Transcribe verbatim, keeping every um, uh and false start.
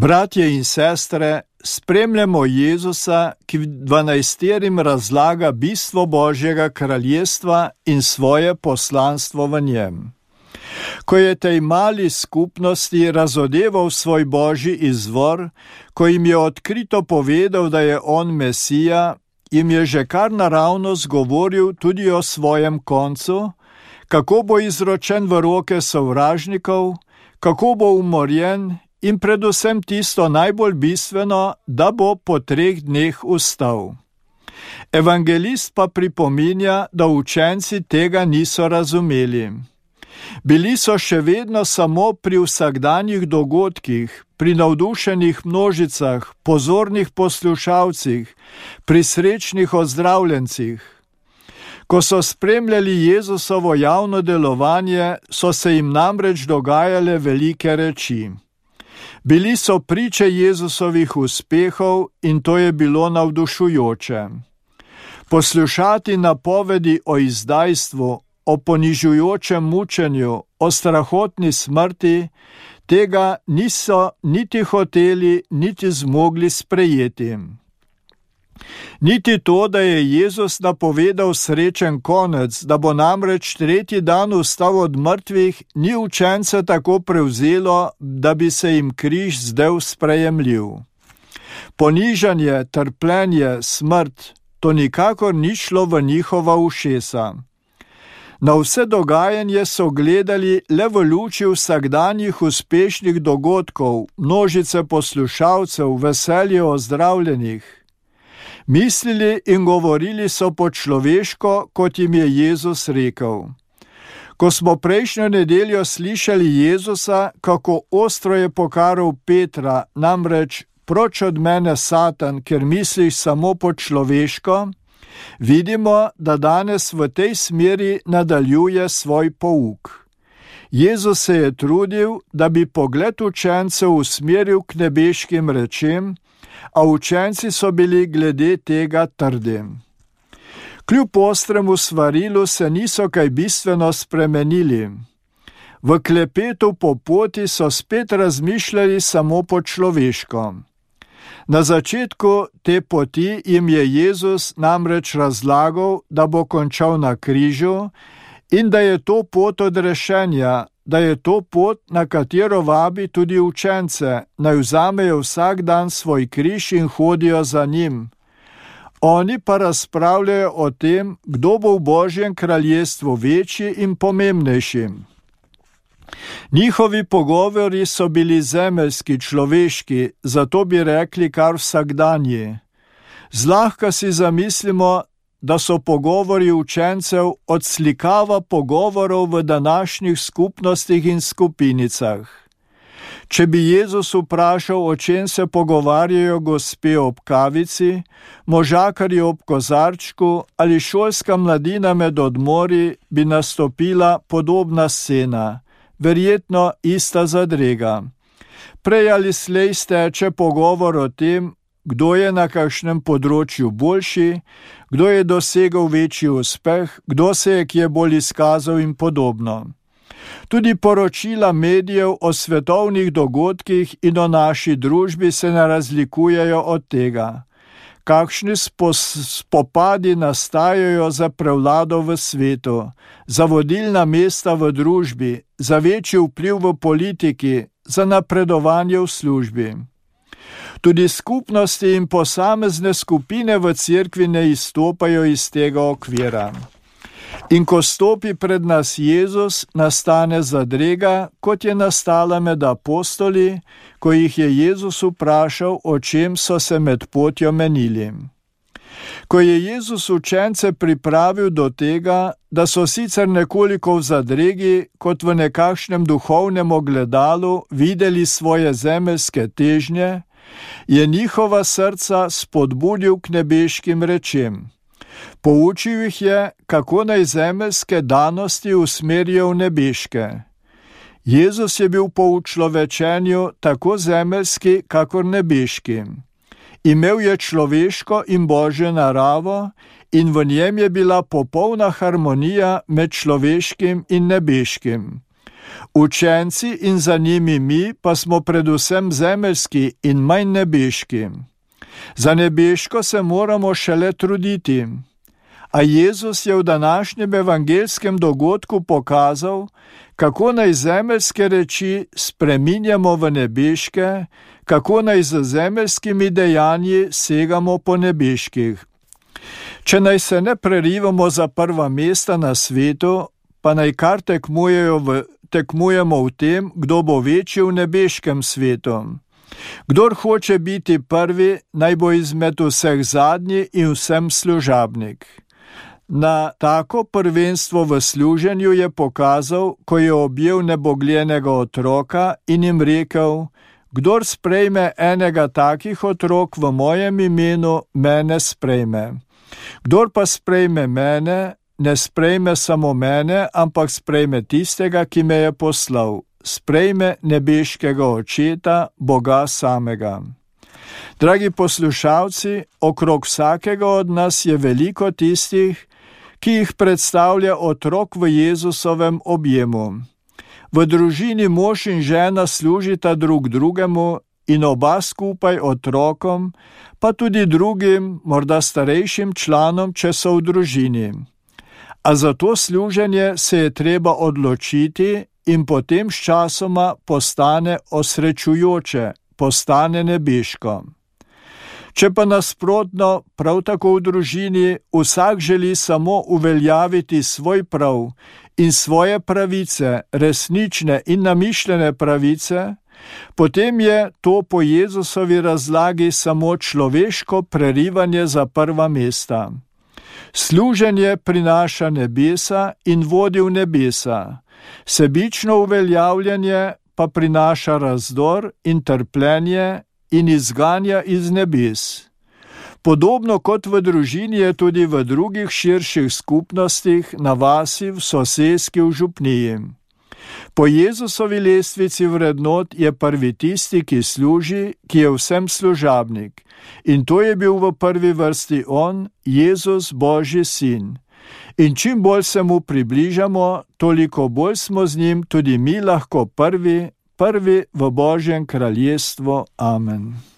Bratje in sestre, spremljamo Jezusa, ki dvanajsterim razlaga bistvo Božjega kraljestva in svoje poslanstvo v njem. Ko je tej mali skupnosti razodeval svoj Božji izvor, ko jim je odkrito povedal, da je on Mesija, jim je že kar naravnost govoril tudi o svojem koncu, kako bo izročen v roke sovražnikov, kako bo umorjen in predvsem tisto najbolj bistveno, da bo po treh dneh vstal. Evangelist pa pripominja, da učenci tega niso razumeli. Bili so še vedno samo pri vsakdanjih dogodkih, pri navdušenih množicah, pozornih poslušalcih, pri srečnih ozdravljencih. Ko so spremljali Jezusovo javno delovanje, so se jim namreč dogajale velike reči. Bili so priče Jezusovih uspehov in to je bilo navdušujoče. Poslušati napovedi o izdajstvu, o ponižujočem mučenju, o strahotni smrti, tega niso niti hoteli, niti zmogli sprejeti. Niti to, da je Jezus napovedal srečen konec, da bo namreč tretji dan vstal od mrtvih, ni učence tako prevzelo, da bi se jim križ zdel sprejemljiv. Ponižanje, trpljenje, smrt, to nikakor ni šlo v njihova ušesa. Na vse dogajanje so gledali le v luči vsakdanjih uspešnih dogodkov, množice poslušalcev, veselje ozdravljenih. Mislili in govorili so po človeško, kot jim je Jezus rekel. Ko smo prejšnjo nedeljo slišali Jezusa, kako ostro je pokaral Petra, namreč proč od mene, Satan, ker misliš samo po človeško, vidimo, da danes v tej smeri nadaljuje svoj pouk. Jezus se je trudil, da bi pogled učencev usmeril k nebeškim rečem, a učenci so bili glede tega trdi. Kljub ostremu svarilu se niso kaj bistveno spremenili. V klepetu po poti so spet razmišljali samo po človeško. Na začetku te poti jim je Jezus namreč razlagal, da bo končal na križu in da je to pot odrešenja, da je to pot, na katero vabi tudi učence, naj vzamejo vsak dan svoj križ in hodijo za njim. Oni pa razpravljajo o tem, kdo bo v Božjem kraljestvu večji in pomembnejši. Njihovi pogovori so bili zemeljski, človeški, zato bi rekli kar vsakdanji. Zlahka si zamislimo, da so pogovori učencev odslikava pogovorov v današnjih skupnostih in skupinicah. Če bi Jezus vprašal, o čem se pogovarjajo gospe ob kavici, možakarji ob kozarčku ali šolska mladina med odmori, bi nastopila podobna scena, verjetno ista zadrega. Prej ali slej steče pogovor o tem, kdo je na kakšnem področju boljši, kdo je dosegel večji uspeh, kdo se je kje bolj izkazal in podobno. Tudi poročila medijev o svetovnih dogodkih in o naši družbi se ne razlikujejo od tega. Kakšni spopadi nastajajo za prevlado v svetu, za vodilna mesta v družbi, za večji vpliv v politiki, za napredovanje v službi. Tudi skupnosti in posamezne skupine v cerkvi ne izstopajo iz tega okvira. In ko stopi pred nas Jezus, nastane zadrega, kot je nastala med apostoli, ko jih je Jezus vprašal, o čem so se med potjo menili. Ko je Jezus učence pripravil do tega, da so sicer nekoliko v zadregi, kot v nekakšnem duhovnem ogledalu videli svoje zemeljske težnje, je njihova srca spodbudil k nebeškim rečem. Poučil jih je, kako naj zemeljske danosti usmerijo v nebeške. Jezus je bil po učlovečenju tako zemeljski, kakor nebeški. Imel je človeško in božjo naravo in v njem je bila popolna harmonija med človeškim in nebeškim. Učenci in za njimi mi pa smo predvsem zemeljski in manj nebeški. Za nebeško se moramo šele truditi. A Jezus je v današnjem evangelskem dogodku pokazal, kako naj zemeljske reči spreminjamo v nebeške, kako naj z zemeljskimi dejanji segamo po nebeških. Če naj se ne prerivamo za prva mesta na svetu, pa naj kar tekmujejo v, tekmujemo v tem, kdo bo večji v nebeškem svetu. Kdor hoče biti prvi, naj bo izmed vseh zadnji in vsem služabnik. Na tako prvenstvo v služenju je pokazal, ko je objel nebogljenega otroka in jim rekel: kdor sprejme enega takih otrok v mojem imenu, mene sprejme. Kdor pa sprejme mene, ne sprejme samo mene, ampak sprejme tistega, ki me je poslal. Sprejme nebeškega Očeta, Boga samega. Dragi poslušalci, okrog vsakega od nas je veliko tistih, ki jih predstavlja otrok v Jezusovem objemu. V družini mož in žena služita drug drugemu in oba skupaj otrokom, pa tudi drugim, morda starejšim članom, če so v družini. A za to služenje se je treba odločiti in potem sčasoma postane osrečujoče, postane nebeško. Če pa nasprotno, prav tako v družini, vsak želi samo uveljaviti svoj prav in svoje pravice, resnične in namišljene pravice, potem je to po Jezusovi razlagi samo človeško prerivanje za prva mesta. Služenje prinaša nebesa in vodi v nebesa, sebično uveljavljanje pa prinaša razdor in trpljenje in izganja iz nebes. Podobno kot v družini je tudi v drugih širših skupnostih, na vasi, v soseski, v župniji. Po Jezusovi lestvici vrednot je prvi tisti, ki služi, ki je vsem služabnik. In to je bil v prvi vrsti on, Jezus, Božji sin. In čim bolj se mu približamo, toliko bolj smo z njim tudi mi lahko prvi, prvi v Božjem kraljestvu. Amen.